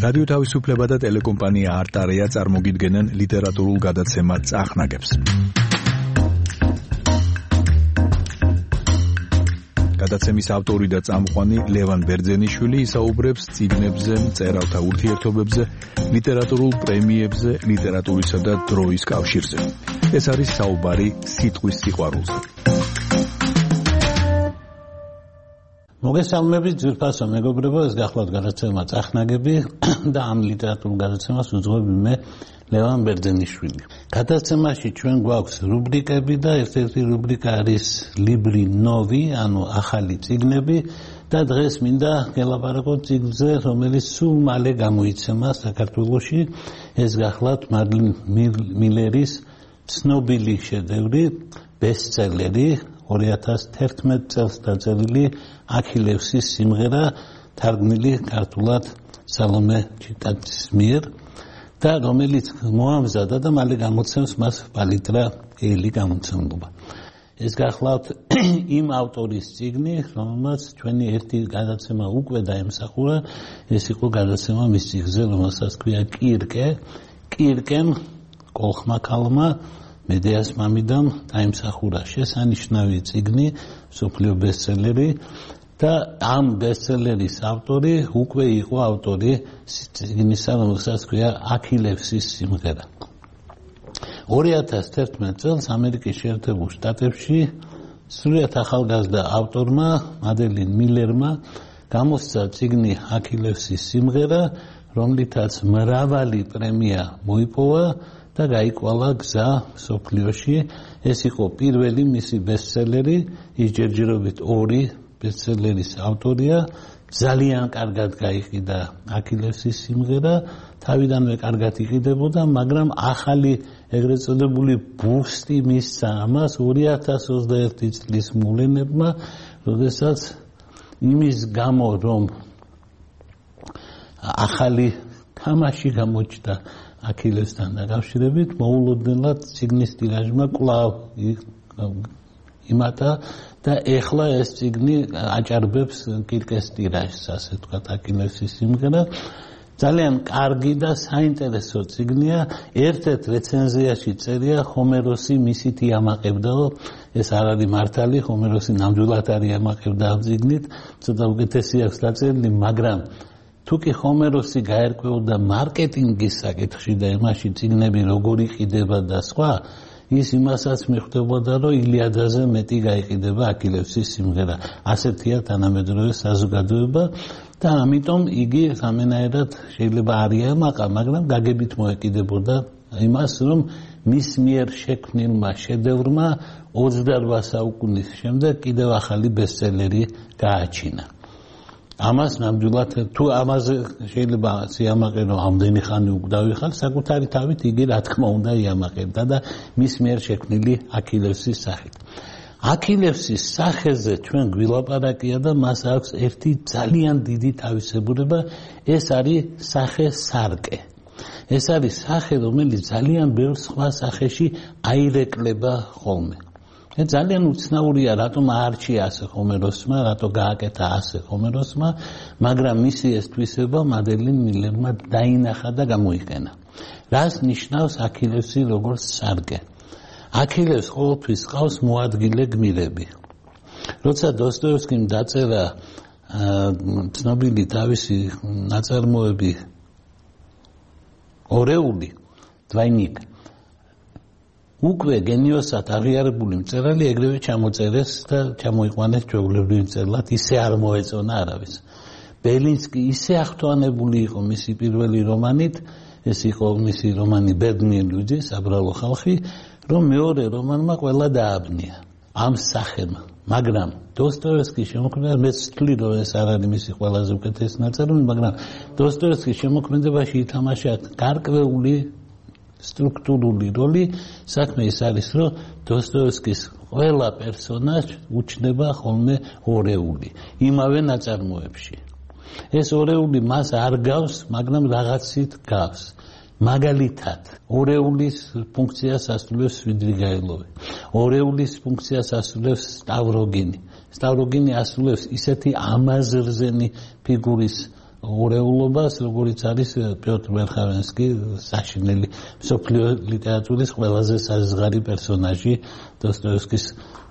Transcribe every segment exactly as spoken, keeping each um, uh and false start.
რადიო თავისუფლება და ტელეკომპანია არტარია წარმოგიდგენენ ლიტერატურულ გადაცემა წახნაგებს. გადაცემის ავტორი და წამყვანი ლევან ბერძენიშვილი ისაუბრებს წიგნებზე, მწერალთა ურთიერთობებზე, ლიტერატურულ პრემიებზე, ლიტერატურისა და დროის კავშირზე. ეს არის საუბარი სიტყვის სიყვარულზე. მოგესალმებით ძვირფასო მეგობრებო, ეს გახლავთ გადაცემა წახნაგები და ამ ლიტერატურულ გადაცემას უძღვები მე ლევან ბერძენიშვილი. გადაცემაში ჩვენ გვაქვს რუბრიკები და ერთ-ერთი რუბრიკა არის ლიბრი ნოვი, ანუ ახალი წიგნები და დღეს მინდა გელაპარაკოთ წიგნზე, რომელიც სულ მალე გამოიცემა საქართველოში. ეს გახლავთ მარლინ მილერის ცნობილი შედევრი, ბესტსელერი, ორი ათას თერთმეტ წელს დაწერილი აქილევსის სიმღერა, თარგმნილი ქართულად სალომე ჩიტაძის მიერ და რომელიც მოამზადა და მალე გამოცემს მას პალიტრა ელი გამოცემლობა. ეს გახლავთ იმ ავტორის წიგნი, რომელმაც ჩვენი ერთი გადაცემა უკვე დაემსახურა, ეს იყო გადაცემა მის წიგნზე, რომელსაც ქვია კირკე, კირკემ კოლხმა ქალმა მედეას მამიდამ დაიმსახურა შესანიშნავი წიგნი, მსოფლიო ბესტსელერი და ამ ბესტსელერის ავტორი უკვე იყო ავტორი წიგნისა, რომელსაც ქვია აქილევსის სიმღერა. ორი ათას თერთმეტ წელს ამერიკის შეერთებულ შტატებში სრულიად ახალგაზრდა ავტორმა მადელინ მილერმა გამოსცა წიგნი აქილევსის სიმღერა, რომლითაც მრავალი პრემია მოიპოვა და გაიკვალა გზა მსოფლიოში. ეს იყო პირველი მისი ბესტსელერი, ის ჯერჯერობით ორი ბესტსელერის ავტორია. ძალიან კარგად გაიყიდა აქილევსის სიმღერა, თავიდანვე კარგად იყიდებოდა, მაგრამ ახალი ეგრეთ წოდებული ბუსტი მისცა ამას ორი ათას ოცდაერთი წლის მოვლენებმა, როდესაც იმის გამო, რომ ახალი თამაში გამოჩნდა აქილევსთან დაკავშირებით, მოულოდნელად წიგნის ტირაჟმა კვლავ იმატა და ეხლა ეს წიგნი აჭარბებს კირკეს ტირაჟს, ასე ვთქვათ, აქილევსის სიმღერა. ძალიან კარგი და საინტერესო წიგნია. ერთ-ერთ რეცენზიაში წერია, ჰომეროსი მისით იამაყებდაო. ეს არ არის მართალი, ჰომეროსი ნამდვილად არ იამაყებდა ამ წიგნით, ცოტა უკეთესი აქვს დაწერილი, მაგრამ თუ კი ჰომეროსი გაერკვეოდა მარკეტინგის საკითხში და იმაში წიგნები როგორ იყიდება და სხვა, ის იმასაც მიხვდებოდა, რომ ილიადაზე მეტი გაიყიდება აქილევსის სიმღერა. ასეთია თანამედროვე საზოგადოება და ამიტომ იგი სამენაერად შეიძლება არ იამაყა, მაგრამ გაგებით მოეკიდებოდა იმას, რომ მის მიერ შექმნილმა შედევრმა ოცდარვა საუკუნის შემდეგ კიდევ ახალი ბესტსელერი გააჩინა. ამას ნამდვილად თუ ამაზე შეიძლება სიამაყე რომ ამდენი ხანი უკდავი ხარ, საკუთარი თავით იგი რა თქმა უნდა იამაყებდა და მის მიერ შექმნილი აქილევსის სახით. აქილევსის სახეზე ჩვენ გვილაპარაკია და მას აქვს ერთი ძალიან დიდი თავისებურება, ეს არის სახე სარკე. ეს არის სახე, რომელიც ძალიან ბევრ სხვა სახეში აირეკლება ხოლმე. ძალიან უცნაურია, რატომ აარჩია ასე ჰომეროსმა, რატო გააკეთა ასე ჰომეროსმა, მაგრამ მისი ეს თვისება მადელინ მილერმა დაინახა და გამოიყენა. რას ნიშნავს აქილევსი როგორც სარკე? აქილევს ყოველთვის ყავს მოადგილე გმირები. როცა დოსტოევსკიმ დაწერა ცნობილი თავისი ნაწარმოები ორეული, დვაინიკ, უკვე გენიოსად აღიარებული მწერალი ეგრევე ჩამოწერეს და ჩამოიყვანეს ჩვეულებრივ მწერლად, ისე არ მოეწონა არავის. ბელინსკი ისე ახთვანებული იყო მისი პირველი რომანით, ეს იყო მისი რომანი ბედნიერი ლუიჯი, საბრალო ხალხი, რომ მეორე რომანმა ყველა დააბნია ამ სახემ. მაგრამ დოსტოევსკის შემოქმედება, მეც ვთვლი, რომ ეს არ არის მისი ყველაზე უკეთესი ნაწარმოები, მაგრამ დოსტოევსკის შემოქმედებაში ითამაშა გარკვეული სტრუქტურული როლი. საქმე ის არის, რომ დოსტოევსკის ყველა პერსონაჟი უჩნდება ხოლმე ორეული იმავე ნაწარმოებში. ეს ორეული მას არ გავს, მაგრამ რაღაცით გავს. მაგალითად, ორეულის ფუნქციას ასრულებს სვიდრიგაილოვი. ორეულის ფუნქციას ასრულებს სტავროგინი. სტავროგინი ასრულებს ისეთი ამაზრზენი ფიგურის ორეულობას, როგორც არის პიოტრ მერხავენსკი, საშინელი მსოფლიო ლიტერატურის ყველაზე საზღარი პერსონაჟი დოსტოევსკის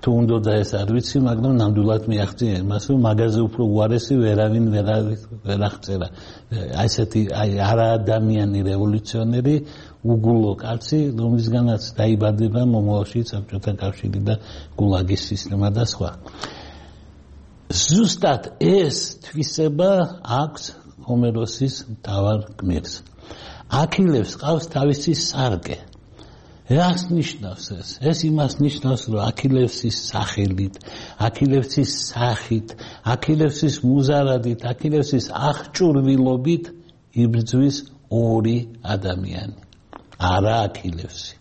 თუ უნდა ეს არ ვიცი, მაგრამ ნამდვილად მიაღწია იმას, რომ მაგაზე უფრო უარესი ვერავინ ვერ აღწერა. აი ესეთი აი არაადამიანი რევოლუციონერი უგულო კაცი, რომლისგანაც დაიბადება მომავალში საბჭოთა კავშირი და გულაგის სისტემა და სხვა. ზუსტად ეს თვისება აქვს ჰომეროსის მთავარ გმირს. აქილევს ყავს თავისი სარკე. რას ნიშნავს ეს? ეს იმას ნიშნავს, რომ აქილევსის სახელით, აქილევსის სახით, აქილევსის მუზარადით, აქილევსის აღჭურვილობით იბრძვის ორი ადამიანი. არა აქილევსი.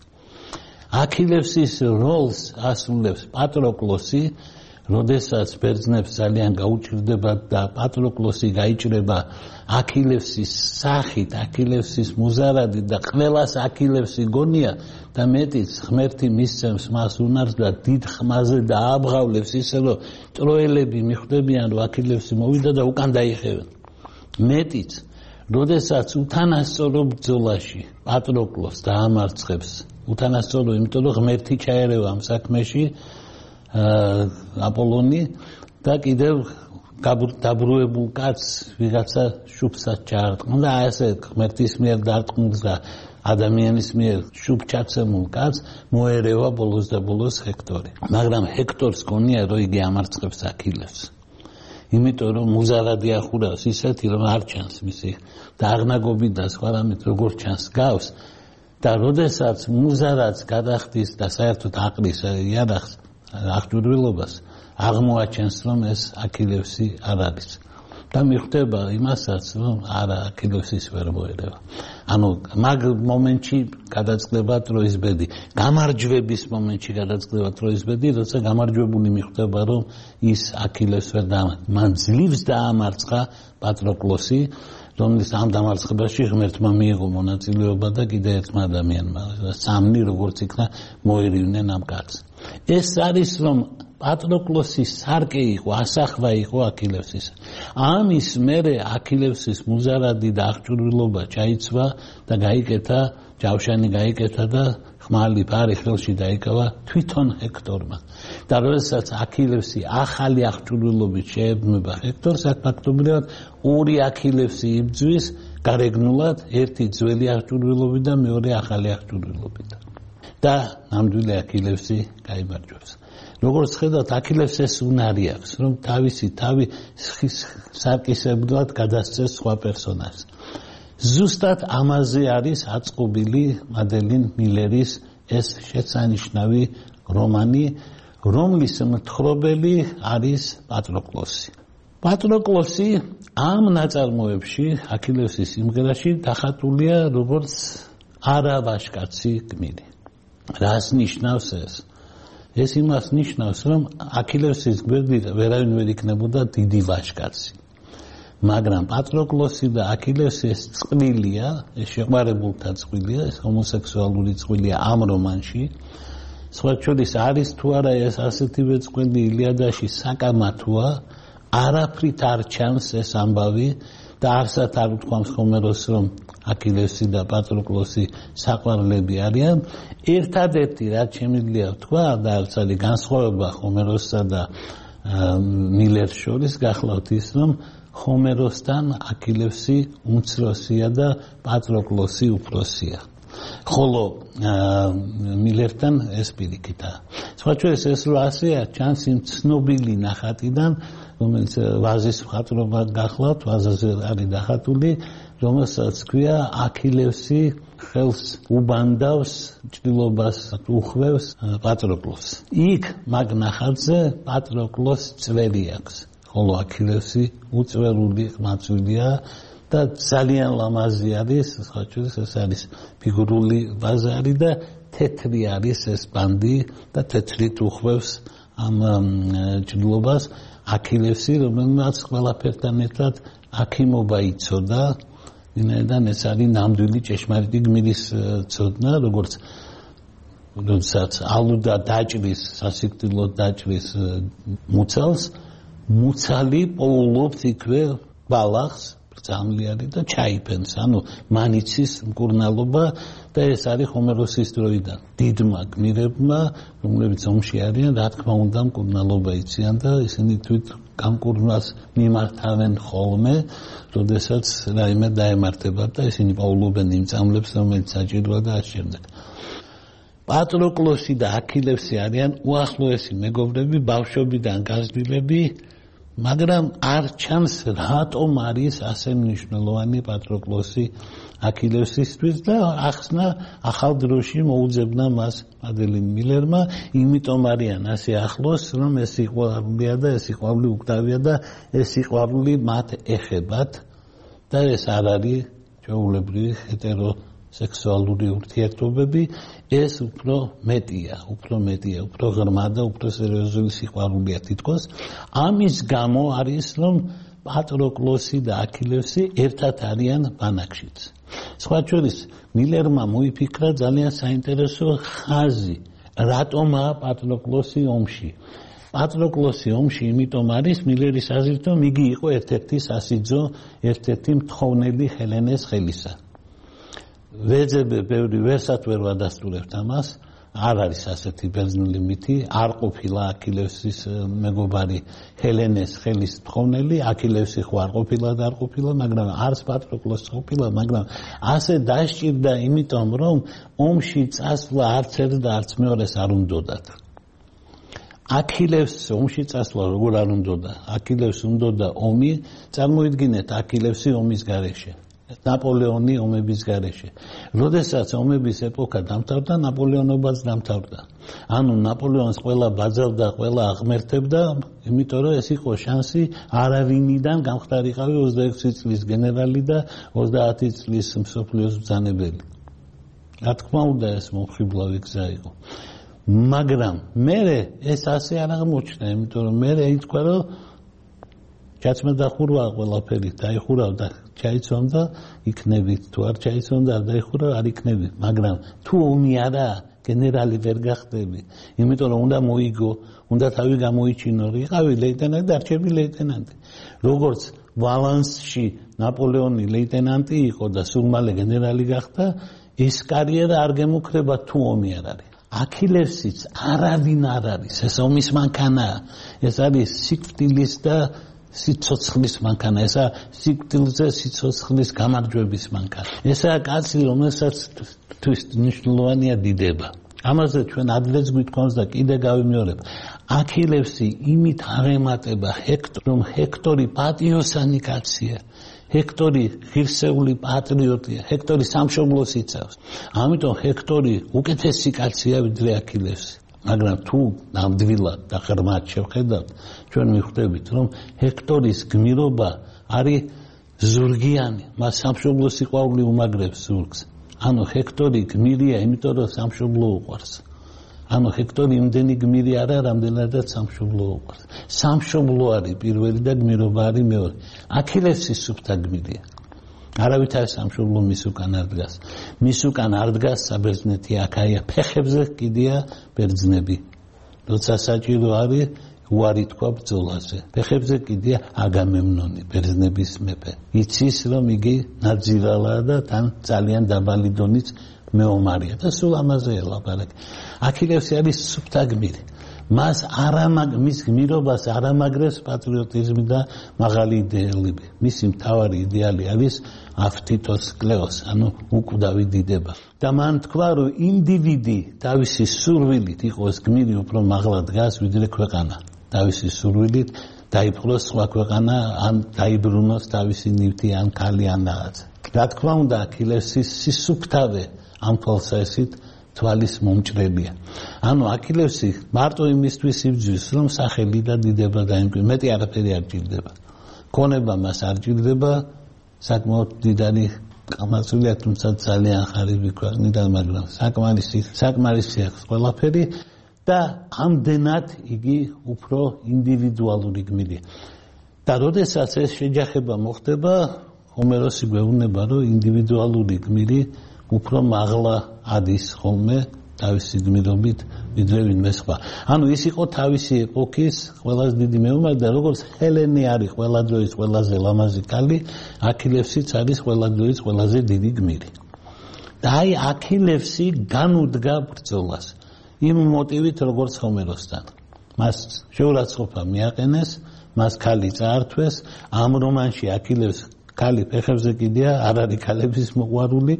აქილევსის როლს ასრულებს პატროკლოსი, როდესაც ბერძნებს ძალიან გაუჭირდება და პატროკლოსი გაიჭრება აქილევსის სახით, აქილევსის მუზარადით და ყველას აქილევსი გონია და მეტიც ღმერთი მისცემს მას უნარს და დიდ ხმაზე დააბღავლებს ისე რომ ტროელები მიხვდებიან რომ აქილევსი მოვიდა და უკან დაიხევენ. მეტიც როდესაც უთანასწორო ბრძოლაში პატროკლოს დაამარცხებს, უთანასწორო, იმიტომ რომ ღმერთი ჩაერევა ამ საქმეში აპოლონი და კიდევ დაბრუებულ კაცს ვიღაცა შუბსაც ჩაარტყმა და ასე ღმერთის მიერ დარტყმულს და ადამიანის მიერ შუბჩაცემულ კაცს მოერევა ბოლოს და ბოლოს ჰექტორი. მაგრამ ჰექტორს გონია რომ იგი ამარცხებს აქილევს. იმიტომ რომ მუზარადი ახურავს ისეთი რომ არ ჩანს მისი დაღნაგობი და სხვა რამით როგორ ჩანს გავს და როდესაც მუზარადს გადახდის და საერთოდ აყრის იარაღს აღჭურვილობას აღმოაჩენს რომ ეს აქილევსი არ არის და მიხვდება იმასაც რომ არა აქილევსის ვერ მოერევა. ანუ მაგ მომენტში გადაწყდება ტროის ბედი, გამარჯვების მომენტში გადაწყდება ტროის ბედი, როცა გამარჯვებული მიხვდება რომ ის აქილევს ვერ დაამარცხა. მან ძლივს დაამარცხა პატროკლოსი, რომლის ამ დამარცხებაში ღმერთმა მიიღო მონაწილეობა და კიდევ ერთმა ადამიანმა, სამნი როგორც იქნა მოერივნენ ამ კაცს. ეს არის რომ პატროკლოსის სარკე იყო, ასახვა იყო აქილევსის. ამის მერე აქილევსის მუზარადი და აღჭურვილობა ჩაიცვა და გაიკეთა, ჯავშანი გაიკეთა და ხმალი ფარი ხელში დაიკავა თვითონ ჰექტორმა. და როდესაც აქილევსი ახალი აღჭურვილობით შეებმება ჰექტორს, აქ ფაქტობრივად ორი აქილევსი იბრძვის გარეგნულად, ერთი ძველი აღჭურვილობით და მეორე ახალი აღჭურვილობით. და ნამდვილი აქილევსი გაიმარჯვებს. როგორც ხედავთ, აქილევს ეს უნარი აქვს, რომ თავისი თავი სარკისებრად გადასცეს სხვა პერსონაჟს. ზუსტად ამაზე არის აწყობილი მადელინ მილერის ეს შესანიშნავი რომანი, რომლის მთხრობელი არის პატროკლოსი. პატროკლოსი ამ ნაწარმოებში, აქილევსის სიმღერაში დახატულია როგორც არავაშკაცი გმირი. რას ნიშნავს ეს? ეს იმას ნიშნავს, რომ აქილევსის გვერდით ვერავინ ვერ იქნებოდა დიდი ვაჟკაცი. მაგრამ პატროკლოსი და აქილევსი ეს წყვილია, ეს შეყვარებულთა წყვილია, ეს ჰომოსექსუალური წყვილია ამ რომანში. სხვა შორის არის თუ არა ეს ასეთივე წყვილი ილიადაში საკამათოა, არაფრით არ ჩანს ეს ამბავი და არსად არ უთქვამს ჰომეროსს რომ აქილევსი და პატროკლოსი საყვარლები არიან. ერთადერთი რაც შემიძლია ვთქვა და არც არის განსხვავება ჰომეროსსა და მილერს შორის გახლავთ ის რომ ჰომეროსთან აქილევსი უმცროსია და პატროკლოსი უფროსია. ხოლო მილერთან ეს პირიქითაა. სხვა შორის ეს რო ასეა, ჩანს იმ ცნობილი ნახატიდან, რომელიც ვაზის მხატვრობა გახლავთ, ვაზაზე არის დახატული, რომელსაც ქვია აქილევსი ხელს უბანდავს, ჭრილობას უხვევს პატროკლოს. იქ მაგ ნახატზე პატროკლოს წვერი აქვს, ხოლო აქილევსი უწვერული ყმაწვილია და ძალიან ლამაზი არის, სხვა შორის ეს არის ფიგურული ბაზარი და თეთრი არის ეს ბანდი და თეთრით უხვევს ამ ჭრილობას აქილევსი, რომელმაც ყველაფერთან ერთად აქიმობა იცოდა. ვინაიდან ეს არის ნამდვილი ჭეშმარიტი გმირის ცოდნა, როგორც როდესაც ალუდა დაჭრის, სასიკვდილოდ დაჭრის მუცალს, მუცალი პოულობს იქვე ბალახს ბრძამლი არის და ჩაიფენს, ანუ მანიცის მკურნალობა და ეს არის ჰომეროსის დროიდან. დიდმა გმირებმა, რომლებიც ომში არიან, რა თქმა უნდა, მკურნალობა იციან და ისინი თვით გამკურნალს მიმართავენ ხოლმე, როდესაც რაიმე დაემართებათ და ისინი პაულობენ იმ წამლებს, რომელიც საჭიროა და ამ შემდეგ. პატროკლოსი და აქილევსი არიან უახლოესი მეგობრები, ბავშვობიდან გაზრდილები, მაგრამ არ ჩანს რატომ არის ასე მნიშვნელოვანი პატროკლოსი აქილევსისთვის და ახსნა ახალ დროში მოუძებნა მას ადელინ მილერმა, იმიტომ არიან ასე ახლოს, რომ ეს სიყვარულია და ეს სიყვარული უკდავია და ეს სიყვარული მათ ეხებათ და ეს არ არის ჩვეულებრივი ჰეტერო სექსუალური ურთიერთობები, ეს უფრო მეტია, უფრო მეტია, უფრო ღრმა და უფრო სერიოზული სიყვარულია თითქოს. ამის გამო არის, რომ პატროკლოსი და აქილევსი ერთად არიან ბანაკშიც. სხვა შორის, მილერმა მოიფიქრა ძალიან საინტერესო ხაზი, რატომაა პატროკლოსი ომში. პატროკლოსი ომში იმიტომ არის მილერის აზრით, რომ იგი იყო ერთ-ერთი სასიძო, ერთ-ერთი მთხოვნელი ჰელენეს ხელისა. ვეძებე ბევრი ვერსად ვერ ვადასტურებთ ამას, არ არის ასეთი ბერძნული მითი, არ ყოფილა აქილევსის მეგობარი ჰელენეს ხელის მთხოვნელი, აქილევსი ხო არ ყოფილა და არ ყოფილა, მაგრამ არც პატროკლოსი ყოფილა, მაგრამ ასე დასჭირდა, იმიტომ რომ ომში წასვლა არც ერთ და არც მეორეს არ უნდოდათ. აქილევს ომში წასვლა როგორ არ უნდოდა? აქილევს უნდოდა ომი, წარმოიდგინეთ აქილევსი ომის გარეშე. ნაპოლეონი ომების გარეშე. როდესაც ომების ეპოქა დამთავრდა, ნაპოლეონობაც დამთავრდა. ანუ ნაპოლეონს ყველა ბაძავდა, ყველა აღმერთებდა, იმიტომ რომ ეს იყო შანსი არავინიდან გამხდარიყავი ოცდაექვსი წლის გენერალი და ოცდაათი წლის მსოფლიოს ბრძანებელი. რა თქმა უნდა, ეს მომხიბლავი გზა იყო. მაგრამ მერე ეს ასე არ აღმოჩნდა, იმიტომ რომ მერე ითქვა, რომ ჩაცმა დახურვა ყველაფერი, დაიხურავ და ჩაიცვამ და იქნებით, თუ არ ჩაიცვამ და არ დაიხურავ, არ იქნები. მაგრამ თუ ომი არა, გენერალი ვერ გახდები, იმიტომ რომ უნდა მოიგო, უნდა თავი გამოიჩინო, იყავი ლეიტენანტი და არჩევი ლეიტენანტი. როგორც ვალანსში ნაპოლეონი ლეიტენანტი იყო და სულ მალე გენერალი გახდა, ეს კარიერა არ გემუქრება თუ ომი არ არის. აქილევსიც არავინ არ არის, ეს ომის მანქანაა, ეს არის სიკვდილის და სიცოცხლის მანქანა, ესა სიკვდილზე სიცოცხლის გამარჯვების მანქანა. ესაა კაცი, რომელსაც თვის მნიშვნელოვანია დიდება. ამაზე ჩვენ ადრეც გვითხოვს და კიდე გავიმეორებ. აქილევსი იმით აღემატება ჰექტორ, რომ ჰექტორი პატიოსანი კაცია. ჰექტორი ღირსეული პატრიოტია, ჰექტორი სამშობლოს იცავს. ამიტომ ჰექტორი უკეთესი კაცია ვიდრე აქილევსი. მაგრამ თუ ნამდვილად და ღრმად შევხედავთ, ჩვენ მიხვდებით, რომ ჰექტორის გმირობა არის ზურგიანი, მას სამშობლო სიყვარული უმაგრებს ზურგს. ანუ ჰექტორი გმირია, იმიტომ რომ სამშობლო უყვარს. ანუ ჰექტორი იმდენი გმირი არა, რამდენადაც სამშობლო უყვარს. სამშობლო არის პირველი და გმირობა არის მეორე. აქილევსი სუფთა გმირია. არავითარ სამშობლო მის უკან არ დგას. მის უკან არ დგას საბერძნეთი, აქაია, ფეხებზე კიდია ბერძნები. როცა საჭირო არის, უარი თქვა ბრძოლაზე. ფეხებზე კიდია აგამემნონი, ბერძნების მეფე. იცის, რომ იგი ნაძილალა და თან ძალიან დაბალი დონის მეომარია და სულ ამაზე ელაპარაკი. აქილევსი არის სუფთა გმირი. მას არამაგ მის გმირობას არამაგრებს პატრიოტიზმი და მაღალი იდეალები. მისი მთავარი იდეალი არის აფთითოს კლეოს, ანუ უკვდავი დიდება. და მან თქვა, რომ ინდივიდი თავისი სურვილით იყოს გმირი, უფრო მაღლა დგას ვიდრე ქვეყანა. თავისი სურვილით დაიპყროს სხვა ქვეყანა, ან დაიბრუნოს თავისი ნივთი, ან ქალი, ან რაღაც. რა თქმა უნდა, აქილევსის სისუფთავე ამ თვალსაზრისით თვალის მომჭრელია. ანუ აქილევსი მარტო იმისთვის იბრძვის, რომ სახელი და დიდება დაიმკვიდროს, მეტი არაფერი არ ჭირდება. ქონება მას არ ჭირდება, საკმაოდ დიდარი კამაცულია, თუმცა ძალიან ხარიბი ქვეყნიდან, მაგრამ საკმარისი საკმარისი აქვს ყველაფერი და ამდენად იგი უფრო ინდივიდუალური გმირია. და როდესაც ეს შეჯახება მოხდება, ჰომეროსი გვეუბნება, რომ ინდივიდუალური გმირი უფრო მაღლა ადის ხოლმე თავისი გმირობით ვიდრე ვინმე სხვა. ანუ ის იყო თავისი ეპოქის ყველაზე დიდი მეომარი და როგორც ჰელენი არის ყველა დროის ყველაზე ლამაზი ქალი, აქილევსიც არის ყველა დროის ყველაზე დიდი გმირი. და აი აქილევსი განუდგა ბრძოლას იმ მოტივით როგორც ჰომეროსთან. მას შეურაცხყოფა მიაყენეს, მას ქალი წაართვეს, ამ რომანში აქილევს ქალი ფეხებზე კიდია, არ არის ქალების მოყვარული.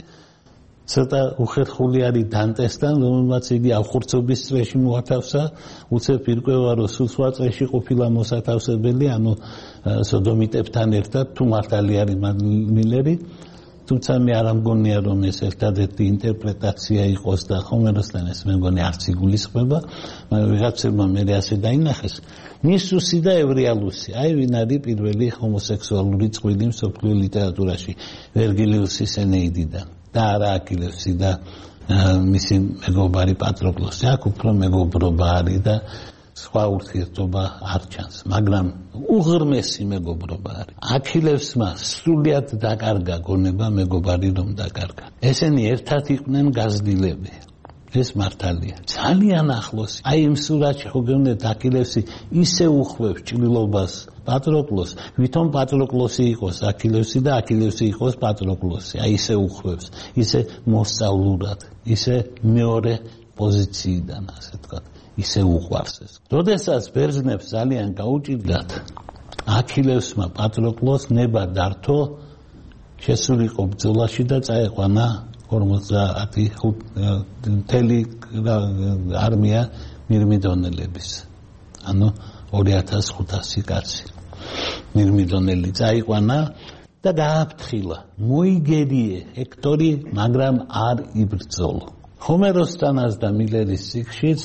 ცოტა უხერხული არის დანტესთან, რომელმაც იგი ავხურცობის წრეში მოათავსა, უცებ ირკვევა, რომ სულ სხვა წრეში ყოფილა მოსათავსებელი, ანუ სოდომიტებთან ერთად, თუ მართალი არის მილერი, თუმცა მე არ ამგონია, რომ ეს ერთადერთი ინტერპრეტაცია იყოს და ჰომეროსთან ეს მე მგონი არც იგულისხმება, მაგრამ ვიღაცებმა მე ასე დაინახეს. ნისუსი და ევრიალუსი, აი ვინ არის პირველი ჰომოსექსუალური წყვილი მსოფლიო ლიტერატურაში, ვერგილიუსის ენეიდიდან. და არა აქილევსი და მისი მეგობარი პატროკლოსი. აქ უფრო მეგობრობა არის და სხვა ურთიერთობა არ ჩანს, მაგრამ უღრმესი მეგობრობა არის. აქილევსმა სრულიად დაკარგა გონება მეგობარი რომ დაკარგა. ესენი ერთად იყვნენ გაზრდილები. ეს მართალია. ძალიან ახლოს. აი იმ სურათში ხო გეუბნეთ აქილევსი ისე უხვევს ჭრილობას პატროკლოს, ვითომ პატროკლოსი იყოს აქილევსი და აქილევსი იყოს პატროკლოსი. აი ისე უხვევს, ისე მოსწავლურად, ისე მეორე პოზიციიდან, ასე ვთქვათ, ისე უყვარს ეს. როდესაც ბერძნებს ძალიან გაუჭირდათ, აქილევსმა პატროკლოს ნება დართო, შესულიყო ბრძოლაში და წაეყვანა ორმოცდაათი მთელი არმია მირმიდონელების. ანუ ორი ათას ხუთასი კაცი მირმიდონელი წაიყვანა და გააფრთხილა. მოიგერიე ჰექტორი, მაგრამ არ იბრძოლო. ჰომეროსთანაც და მილერის სიქშიც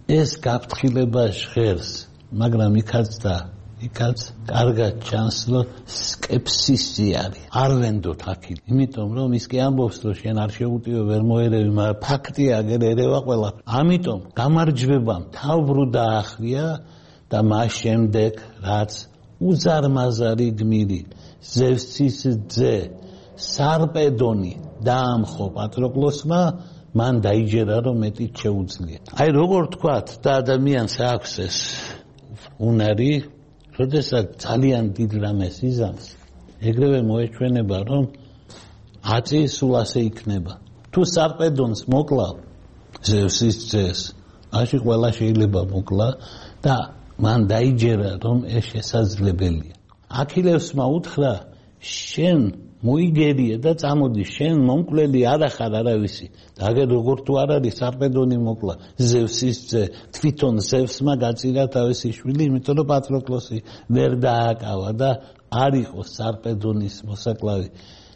ეს გაფრთხილება ჟღერს, მაგრამ იქაც და იქაც კარგად ჩანს, რომ სკეპსისი არის. არ ვენდოთ აქილი. იმიტომ რომ ის კი ამბობს, რომ შენ არ შეუტიო ვერ მოერევი, მაგრამ ფაქტია, აგერ ერევა ყველა. ამიტომ გამარჯვებამ თავბრუ დაახრია და მას შემდეგ რაც უზარმაზარი გმირი ზევსის ძე სარპედონი დაამხო პატროკლოსმა, მან დაიჯერა რომ მეტიც შეუძლია. აი როგორ თქვათ და ადამიანს აქვს ეს უნარი, როდესაც ძალიან დიდ რამეს იზამს, ეგრევე მოეჩვენება რომ აწი სულ ასე იქნება. თუ სარპედონს მოკლავ ზევსის ძეს, მაშინ ყველა შეიძლება მოკლა და მან დაიჯერა რომ ეს შესაძლებელია. აქილევსმა უთხრა, შენ მოიგერიე და წამოდი, შენ მომკვლელი არ ახარ არავისი. და აგერ როგორ თუ არ არის სარპედონი მოკლა ზევსის ძე, თვითონ ზევსმა გაწირა თავისი შვილი, იმიტომ რომ პატროკლოსი ვერ დააკავა და არ იყო სარპედონის მოსაკლავი.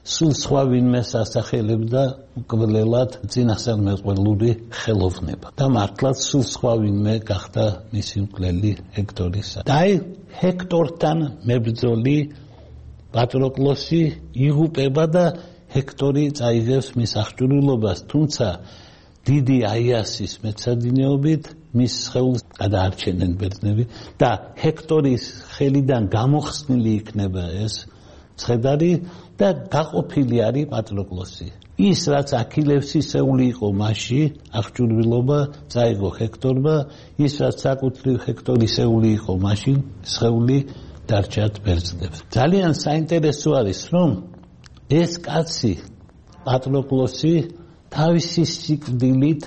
სულ სხვა ვინმეს ასახელებდა მკვლელად წინასწარმეტყველური ხელოვნება. და მართლაც სულ სხვა ვინმე გახდა მისი მკვლელი ჰექტორისა. და აი ჰექტორთან მებრძოლი პატროკლოსი იღუპება და ჰექტორი წაიღებს მის აღჭურვილობას, თუმცა დიდი აიასის მეცადინეობით მის სხეულს გადაარჩენენ ბერძნები და ჰექტორის ხელიდან გამოხსნილი იქნება ეს ცხედარი და გაყოფილი არის პატროკლოსი. ის რაც აქილევსის სეული იყო მასში, აღჭურვილობა წაიღო ჰექტორმა, ის რაც საკუთრივ ჰექტორის სეული იყო მაშინ, სხეული დარჩათ ბერძნებს. ძალიან საინტერესო არის, რომ ეს კაცი პატროკლოსი თავისი სიკვდილით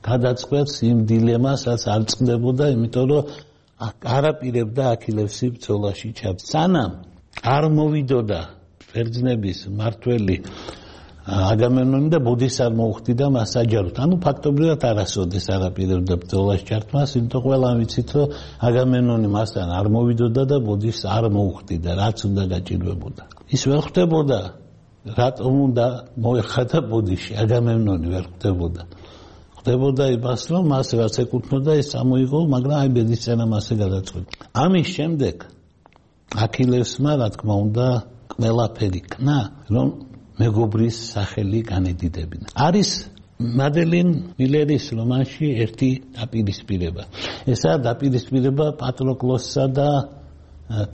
გადაწყვეტს იმ დილემას, რაც არ წყდებოდა, იმიტომ რომ არაპირებდა აქილევსი ბრძოლაში ჩაბს. სანამ არ მოვიდოდა ბერძნების მართველი აგამემნონი და ბოდის არ მოუხდიდა მას საჯაროდ. ანუ ფაქტობრივად არასოდეს არაპირებდა ბრძოლაში ჩართმას, იმიტომ ყველა ვიცით, რომ აგამემნონი მასთან არ მოვიდოდა და ბოდის არ მოუხდიდა, რაც უნდა გაჭირვებოდა. ის ვერ ხვდებოდა, რატომ უნდა მოეხადა ბოდიში, აგამემნონი ვერ ხვდებოდა. ხვდებოდა იმას, რომ მას რაც ეკუთვნოდა, ის ამოიღო, მაგრამ აი ბედისცემა მასზე გადაწყვეტა. ამის შემდეგ აქილევსმა, რა თქმა უნდა, ყველაფერი კნა, რომ მეგობრის სახელი განედიდებინა. არის მადელინ მილერის რომანში ერთი დაპირისპირება. ესაა დაპირისპირება პატროკლოსსა და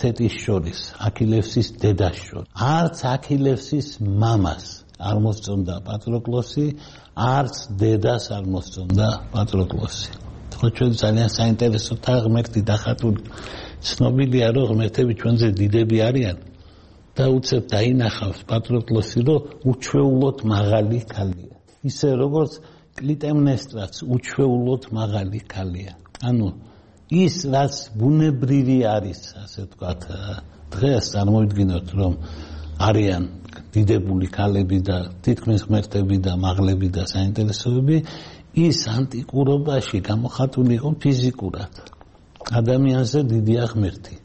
თეტის შორის, აქილევსის დედას შორის. არც აქილევსის მამას არ მოსწონდა პატროკლოსი, არც დედას არ მოსწონდა პატროკლოსი. ხო ჩვენ ძალიან საინტერესო და ღმერთი დახატული ცნობილია რომ ღმერთები ჩვენზე დიდები არიან და უცებ დაინახავს პატროკლოსი რომ უჩვეულოდ მაღალი ქალია. ისე როგორც კლიტემნესტრაც უჩვეულოდ მაღალი ქალია. ანუ ის რაც ბუნებრივი არის, ასე ვთქვათ, დღეს წარმოვიდგინოთ რომ არიან დიდებული ქალები და თითქმის ღმერთები და მაღლები და საინტერესოები, ის ანტიკურობაში გამოხატული იყო ფიზიკურად. ადამიანზე დიდია ღმერთი,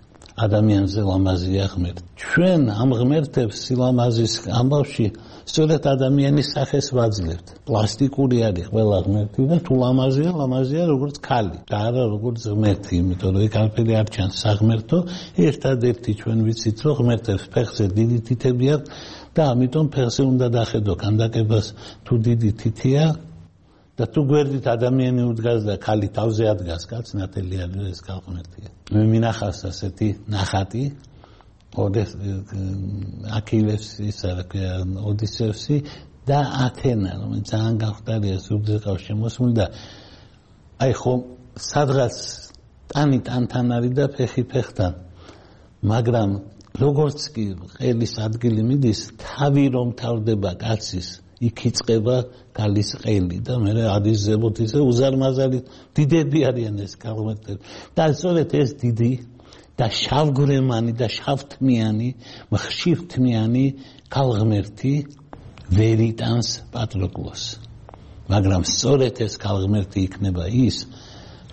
ადამიანზე ლამაზია ღმერთი. ჩვენ ამ ღმერთებს სილამაზის ამბავში სწორედ ადამიანის სახეს ვაძლევთ. პლასტიკური არის ყველა ღმერთი და თუ ლამაზია, ლამაზია როგორც ქალი და არა როგორც ღმერთი, იმიტომ რომ იქ არაფერი არ ჩანს საღმერთო. ერთადერთი ჩვენ ვიცით რომ ღმერთებს ფეხზე დიდი თითები აქვს და ამიტომ ფეხზე უნდა დახედო ქანდაკებას თუ დიდი თითია და თუ გვერდით ადამიანი უდგას და ქალი თავზე ადგას, კაც ნათელი არის ეს ღმერთია. მე მინახავს ასეთი ნახატი აქილევსის, ოდისევსი და ათენა, რომელიც ძალიან გამხდარია სუბძეყავს შემოსული და აი ხო სადღაც ტანი ტანთან არის და ფეხი ფეხთან, მაგრამ როგორც კი ყელის ადგილი მიდის, თავი რომ თავდება კაცის, იქ იწყება გალის ყელი და მე ადის ზებოთისე უზარმაზარი დიდები არიან ეს ღმერთები. და სწორედ ეს დიდი და შავგვრემანი და შავთმიანი, ხშირთმიანი ქალღმერთი ვერ იტანს პატროკლოსს. მაგრამ სწორედ ეს ქალღმერთი იქნება ის,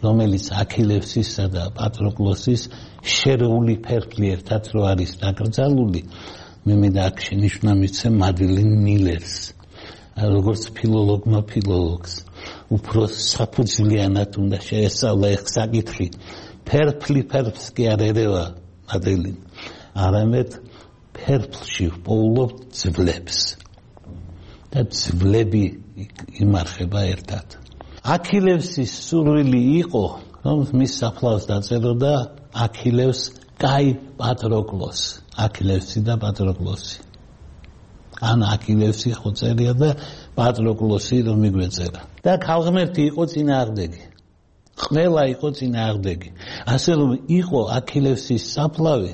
რომელიც აქილევსისა და პატროკლოსის შერეული ფერფლი ერთად რო არის დაკრძალული, მე მე და აქ შენიშვნა მიცემ მადლენ მილერს, როგორც ფილოლოგმა ფილოლოგს, უფრო საფუძვლიანად უნდა შეესწავლა ეს საკითხი. ფერფლი ფერფლს კი არ ერევა მადლენ, არამედ ფერფლში პოულობ ძვლებს და ძვლები იმარხება ერთად. აქილევსის სურვილი იყო, რომ მის საფლავს დაწეროდა აქილევს კაი პატროკლოს, აქილევსი და პატროკლოსი. ან აქილევსი ხო წერია და პატროკლოსი რომ მიგვეწერა. და ქალღმერთი იყო წინააღმდეგი. ყველა იყო წინააღმდეგი. ასე რომ იყო აქილევსის საფლავი,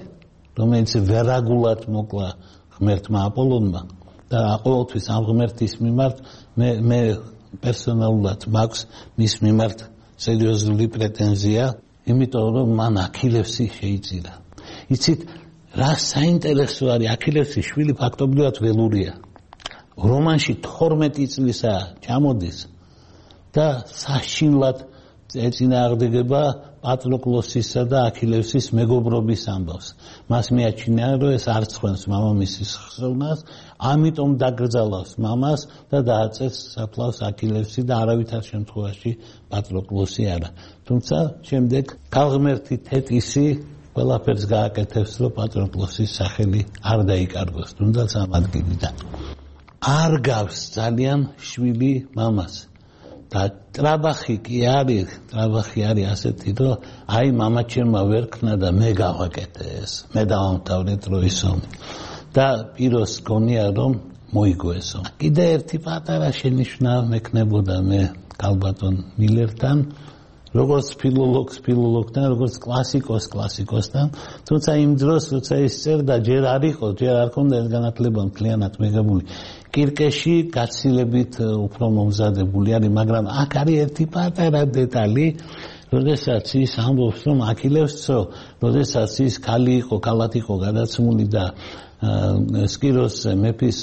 რომელიც ვერაგულად მოკლა ღმერთმა აპოლონმა და ყოველთვის ამ ღმერთის მიმართ მე მე პერსონალურად მაქვს მის მიმართ სერიოზული პრეტენზია, იმიტომ რომ მან აქილევსი შეიწირა. იცით რა საინტერესო არის, აქილევსის შვილი ფაქტობრივად ველურია. რომანში თორმეტი წლისა ჩამოდის და საშინლად ეწინააღმდეგება პატროკლოსისა და აქილევსის მეგობრობის ამბავს. მას მიაჩნია, რომ ეს არ ცხენს მამამისის ხსოვნას, ამიტომ დაკრძალავს მამას და დააწერს საფლავს აქილევსი და არავითარ შემთხვევაში პატროკლოსი არა. თუმცა შემდეგ ქალღმერთი თეტისი ყველაფერს გააკეთებს, რომ პატროკლოსის სახელი არ დაიკარგოს, თუნდაც ამ ადგილიდან. არ გავს ძალიან შვილი მამას. და ტრაბახი კი არის, ტრაბახი არის ასეთი, რომ აი მამაჩემმა ვერ ქნა და მე გავაკეთე ეს, მე დავამთავრე დროის ომი. და პიროს გონია რომ მოიგო ეს ომი. კიდე ერთი პატარა შენიშვნა მექნებოდა მე კალბატონ მილერთან, როგორც ფილოლოგს ფილოლოგთან, როგორც კლასიკოს კლასიკოსთან, თუმცა იმ დროს როცა ის წერდა, ჯერ არ იყო, ჯერ არ ქონდა ეს განათლება მთლიანად მიღებული. კირკეში გაცილებით უფრო მომზადებული არის, მაგრამ აქ არის ერთი პატარა დეტალი, როდესაც ის ამბობს, რომ აქილევსო, როდესაც ის ქალი იყო, ქალად იყო გადაცმული და სკიროს მეფის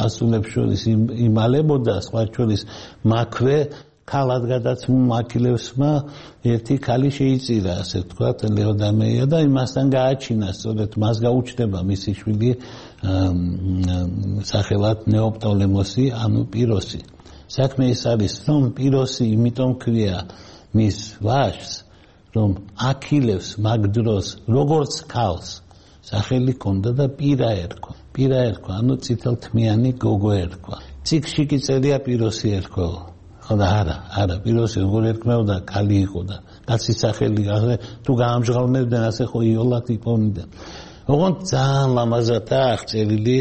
ასულებს შორის იმალებოდა, სხვა შორის მაქვე ქალად გადაცმულმა აქილევსმა ერთი ქალი შეიწირა, ასე ვთქვათ, ლეოდამეია და იმასთან გააჩინა, სწორედ მას გაუჩნდება მისი შვილი სახელად ნეოპტოლემოსი, ანუ პიროსი. საქმე ის არის, რომ პიროსი იმიტომ ქვია მის ვაჟს, რომ აქილევს მაგ დროს როგორც ქალს სახელი ჰქონდა და პირა ერქვა. პირა ერქვა, ანუ წითელთმიანი გოგო ერქვა. წიგში კი წერია პიროსი ერქვა. ხო და არა, არა, პიროსი როგორ ერქმეოდა, ქალი იყო და კაცის სახელი თუ გაამჟღავნებდნენ, ასე ხო იოლად იპოვნდნენ. ოღონდ ძალიან ლამაზადაა აღწერილი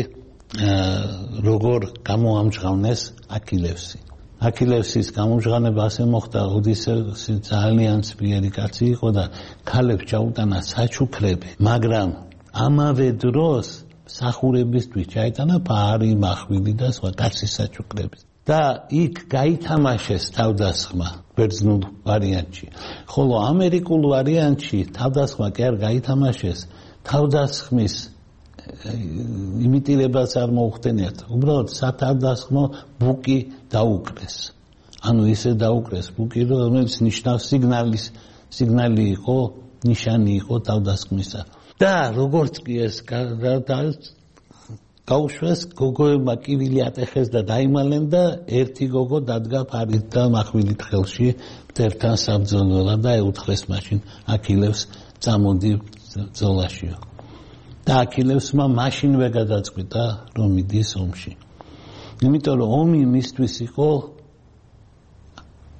როგორ გამოამჟღავნეს აქილევსი. აქილევსის გამოჟღანება ასე მოხდა, ოდისევსი ძალიან ძლიერი კაცი იყო და ქალებს ჩაუტანა საჩუქრები, მაგრამ ამავე დროს მსახურებისთვის ჩაიტანა ფარი, მახვილი და სხვა კაცის საჩუქრები. და იქ გაითამაშეს თავდასხმა ბერძნულ ვარიანტში. ხოლო ამერიკულ ვარიანტში თავდასხმა კი არ გაითამაშეს, თავდასხმის იმიტირებას არ მოუხდენიათ. უბრალოდ სათავდასხმო ბუკი დაუკრეს. ანუ ისე დაუკრეს ბუკი, რომელიც ნიშნავს სიგნალის, სიგნალი იყო, ნიშანი იყო თავდასხმისა. და როგორც კი ეს გაუშვეს, გოგოებმა კივილი ატეხეს და დაიმალნენ და ერთი გოგო დადგა ფარით და מחვილით ხელში მტერთან საბრძოლველად და ეუთხრეს მაშინ აქილევს წამოდი ბრძოლაშიო. და აქილევსმა მაშინვე გადაწყვიტა რომ მიდის ომში. იმიტომ რომ ომი მისთვის იყო,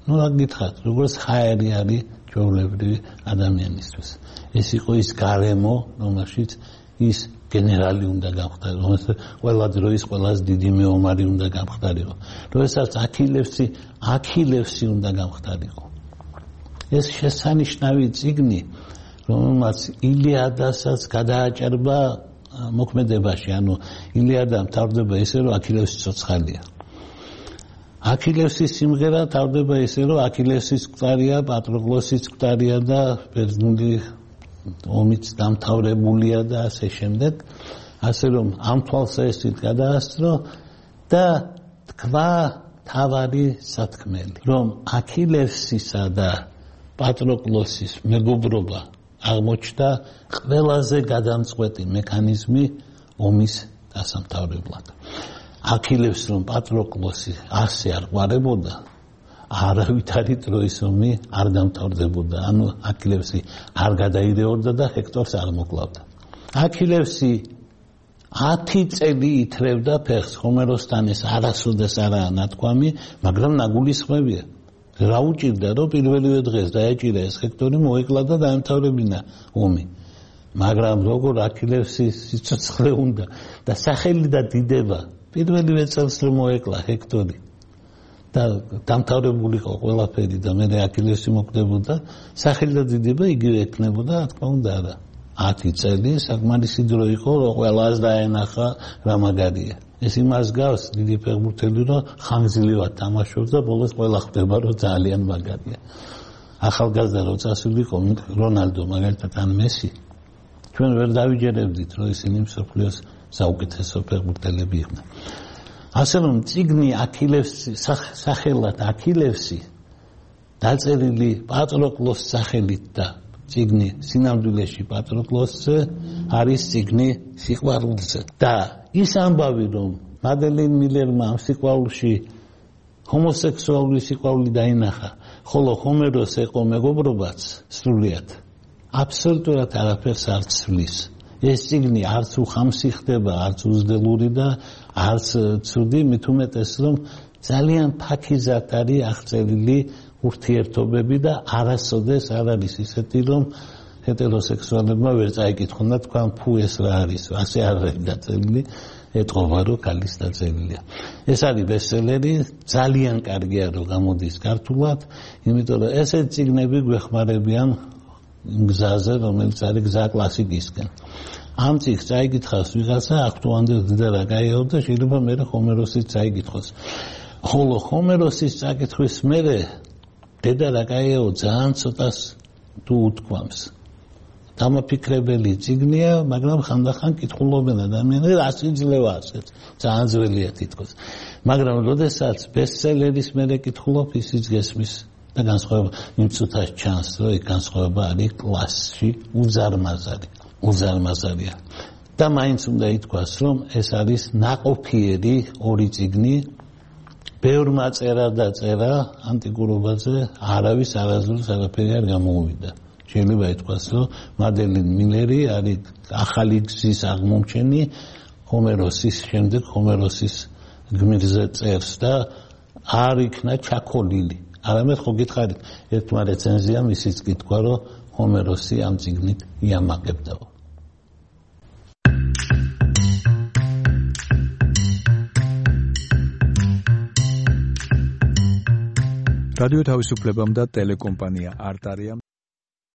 ну რა გითხათ, როგორც ხაერი არის ჩვეულებრივი ადამიანისთვის. ეს იყო ის გარემო, რომელშიც ის გენერალი უნდა გამხდარიყო, რომელსაც ყველა დროის ყველაზე დიდი მეომარი უნდა გამხდარიყო. როდესაც აქილევსი, აქილევსი უნდა გამხდარიყო. ეს შესანიშნავი წიგნი, რომელმაც ილიადასაც გადააჭერბა მოქმედებაში, ანუ ილიადა მთავრდება ისე, რომ აქილევსი ცოცხალია. აქილევსის სიმღერა თავდება ისე, რომ აქილევსის მკვდარია, პატროკლოსის მკვდარია და ბერძნული ომიც დამთავრებულია და ასე შემდეგ, ასე რომ ამ თვალსაჩინით გადაასწრო და თქვა თავარი სათქმელი, რომ აქილევსისა და პატროკლოსის მეგობრობა აღმოჩნდა ყველაზე გადამწყვეტი მექანიზმი ომის დასამთავრებლად. აქილევს რომ პატროკლოსი ასე არ ყვარებოდა, არავითარი დროის ომი არ დამთავრდებოდა. ანუ აქილევსი არ გადაიდეორდა და ჰექტორს არ მოკლავდა. აქილევსი ათი წელი ითრევდა ფეხს, ხომეროსთან ეს არასოდეს არაა ნათქვამი, მაგრამ ნაგულისხმებია. რა უჭირდა, რომ პირველივე დღეს დაეჭირა ეს ჰექტორი, მოეკლა და დაემთავრებინა ომი. მაგრამ როგორ აქილევსის სიცოცხლე უნდა და სახელი და დიდება პირველივე წელს რომ მოეკლა ჰექტორი და დამთავრებული იყო ყველაფერი და მე აქილევსი მოკვდებოდა, სახელი და დიდება იგივე ექნებოდა, რა თქმა უნდა არა. ათი წელი საკმარისი დრო იყო, რომ ყველას დაენახა რა მაგარია. ეს იმას გავს დიდი ფეხბურთელი, რომ ხანგრძლივად თამაშობს და ბოლოს ყველა ხვდება, რომ ძალიან მაგარია. ახალგაზრდა რო წასულიყო რონალდო მაგალითად ან მესი, ჩვენ ვერ დავიჯერებდით, რომ ისინი მსოფლიოს საუკეთესო ფეხბურთელები იყვნენ. ასე რომ წიგნი აქილევსი, სახელად აქილევსი, დაწერილი პატროკლოს სახელით და წიგნი სინამდვილეში პატროკლოსზე არის წიგნი სიყვარულზე. და ის ამბავი, რომ მადელინ მილერმა ამ სიყვარულში ჰომოსექსუალური სიყვარული დაინახა, ხოლო ჰომეროს ეყო მეგობრობაც სრულიად, აბსოლუტურად არაფერს არ ცვლის. ეს წიგნი არც უხამსი ხდება, არც უზდელური და არც ცუდი, მით უმეტეს რომ ძალიან ფაქიზად არის აღწერილი ურთიერთობები და არასოდეს არ არის ისეთი, რომ ჰეტეროსექსუალებმა ვერ წაიკითხონ და თქვან ფუ ეს რა არის, ასე არ არის დაწერილი, ეტყობა რომ ქალის დაწერილია. ეს არის ბესტსელერი, ძალიან კარგია რომ გამოდის ქართულად, იმიტომ რომ ესეთ წიგნები გვეხმარებიან გზაზე, რომელიც არის გზა კლასიკისკენ. ამ წიგნს წაიკითხავს ვიღაცა, აქტუანდელ დედა რა გაიაო და შეიძლება მერე ჰომეროსის წაიკითხოს. ხოლო ჰომეროსის წაკითხვის მერე დედა რა გაიაო ძალიან ცოტას თუ უთქვამს. დამაფიქრებელი წიგნია, მაგრამ ხანდახან კითხულობენ ადამიანები, რა შეიძლება ასეთ, ძალიან ძველია თითქოს. მაგრამ როდესაც ბესტსელერის მერე კითხულობ, ისიც გესმის და განსხვავება იმ წუთას ჩანს, რომ ეს განსხვავება არის კლასში უზარმაზარი, უზარმაზარია. და მაინც უნდა ითქვას, რომ ეს არის ნაყოფიერი ორი წიგნი, ბევრმა წერა და წერა ანტიკურობაზე, არავის არასდროს არაფერი არ გამოუვიდა. შეიძლება ითქვას, რომ მადელინ მილერი არის ახალი გზის აღმომჩენი ჰომეროსის შემდეგ, ჰომეროსის გმირზე წერს და არ იქნა ჩაქოლილი. არამედ ხო გითხარით, ერთმა რეცენზიამ ისიც კითხვა, რომ ჰომეროსი ამ წიგნით იამაყებდაო. რადიო თავისუფლებამ და ტელეკომპანია არტარიამ